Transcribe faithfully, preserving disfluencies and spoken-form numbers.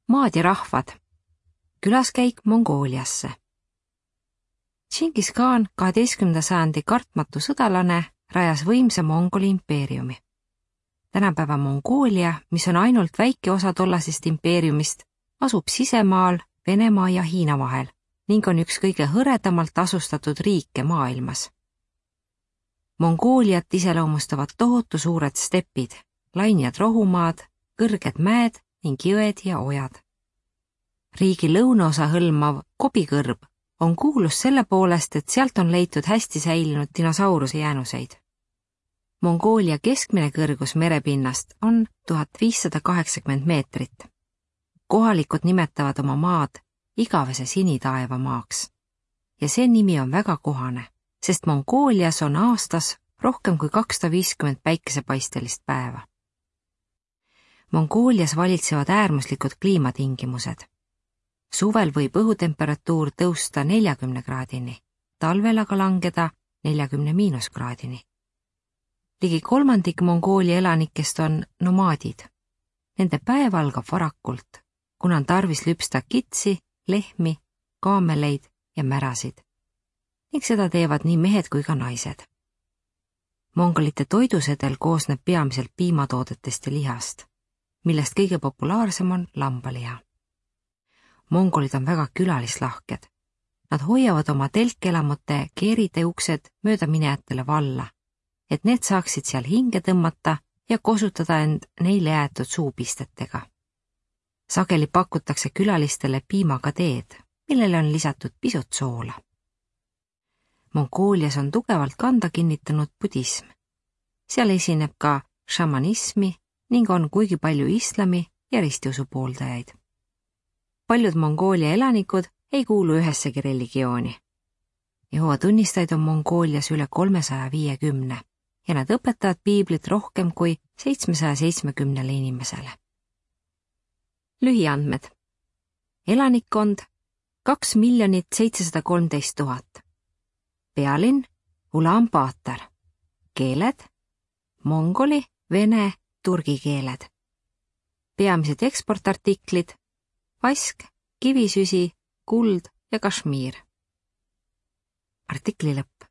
maad ja rahvad. Külaskäik Mongooliasse. Džingis Khan, kaheteistkümnenda sajandi kartmatu sõdalane, rajas võimsa Mongoli impeeriumi. Tänapäeva Mongoolia, mis on ainult väike osa tollasest impeeriumist, asub sisemaal Venemaa ja Hiina vahel ning on üks kõige hõredamalt asustatud riike maailmas. Mongooliat iseloomustavad tohutu suured stepid, lainjad rohumaad, kõrged mäed ning jõed ja ojad. Riigi lõunaosa hõlmav Kobikõrb on kuulus selle poolest, et sealt on leitud hästi säilinud dinosauruse jäänuseid. Mongoolia keskmine kõrgus merepinnast on tuhat viissada kaheksakümmend meetrit. Kohalikud nimetavad oma maad igavese sinitaeva maaks. Ja see nimi on väga kohane, sest Mongoolias on aastas rohkem kui kakssada viiskümmend päikesepaistelist päeva. Mongoolias valitsevad äärmuslikud kliimatingimused. Suvel võib õhutemperatuur tõusta neljakümne kraadini, talvel aga langeda neljakümne miinuskraadini. Ligi kolmandik Mongoolia elanikest on nomaadid. Nende päev algab varakult, kuna on tarvis lüpsta kitsi, lehmi, kaameleid ja märasid. Ning seda teevad nii mehed kui ka naised. Mongolite toidusedel koosneb peamiselt piimatoodetest ja lihast, millest kõige populaarsem on lambaliha. Mongolid on väga külalislahked. Nad hoiavad oma telkelamute keeride uksed mööda minejatele valla, et need saaksid seal hinge tõmmata ja kosutada end neile jäetud suupistetega. Sageli pakutakse külalistele piimaga teed, millele on lisatud pisut soola. Mongoolias on tugevalt kanda kinnitanud budism. Seal esineb ka šamanismi ning on kuigi palju islami ja ristiusu pooldajaid. Paljud Mongoolia elanikud ei kuulu ühessegi religiooni. Jehova tunnistajaid on Mongoolias üle kolmesaja viiekümne ja nad õpetavad piiblit rohkem kui seitsmesaja seitsmekümnele inimesele. Lühiandmed. Elanikkond kaks miljonit seitsesada kolmteist tuhat. Pealinn Ulaanbaatar. Keeled mongoli, vene, turgi keeled. Peamised eksportartiklid vask, kivisüsi, kuld ja kašmiir. Artikli lõpp.